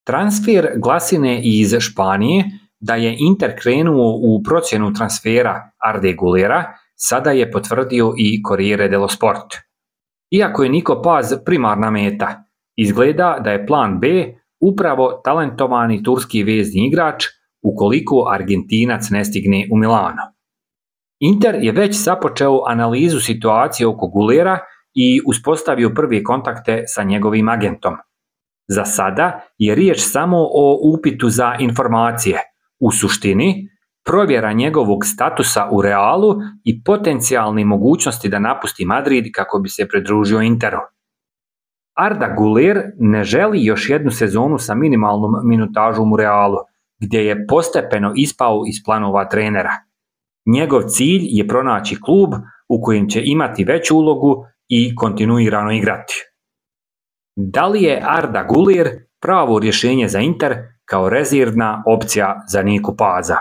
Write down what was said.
Transfer glasine iz Španije da je Inter krenuo u procjenu transfera Arde Gulera sada je potvrdio i Corriere dello Sport. Iako je Niko Paz primarna meta, izgleda da je plan B upravo talentovani turski vezni igrač ukoliko Argentinac ne stigne u Milano. Inter je već započeo analizu situacije oko Gulera i uspostavio prve kontakte sa njegovim agentom. Za sada je riječ samo o upitu za informacije, u suštini provjera njegovog statusa u Realu i potencijalne mogućnosti da napusti Madrid kako bi se pridružio Interu. Arda Güler ne želi još jednu sezonu sa minimalnom minutažom u Realu, gdje je postepeno ispao iz planova trenera. Njegov cilj je pronaći klub u kojem će imati veću ulogu i kontinuirano igrati. Da li je Arda Güler pravo rješenje za Inter kao rezervna opcija za Niku Paza?